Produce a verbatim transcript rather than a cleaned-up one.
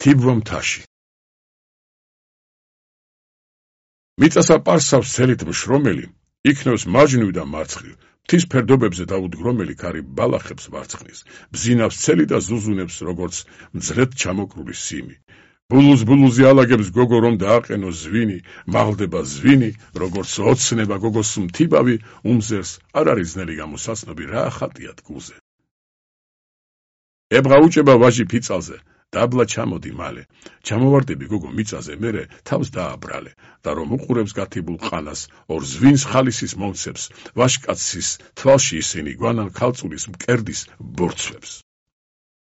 თიბვა მთაში. მიწასა პარსავს ცელით მშრომელი, იქნევს მაჯნივ და მარცხნივ, მთის ფერდობებზე დაუდგრომელი ქარი ბალახებს ვარცხნის, ბზინავს ცელი და ზუზუნებს როგორც მძრედ ჩამოკრული სიმი. ბულუს ბულუზე ალაგებს გოგო რომ დააყენოს ზვინი, მაღლდება ზვინი, როგორც ოცნება გოგოს მთიბავი, უმზერს არ არის ძნელი გამოსაცნობი, რა ხატია თგულზე. ებღა უჭება ვაჟი ფიცალზე, დაბლა ჩამოდი მალე, ჩამოვარდები გოგო მიწაზე, მერე თავს დააბრალე, და რომ უყურებს გათიბულ ყანას, ორ ზვინს ხალისის მომცებს, ვაშკაცის თვალში ისინი გვანან ქალწულის მკერდის ბორცვებს.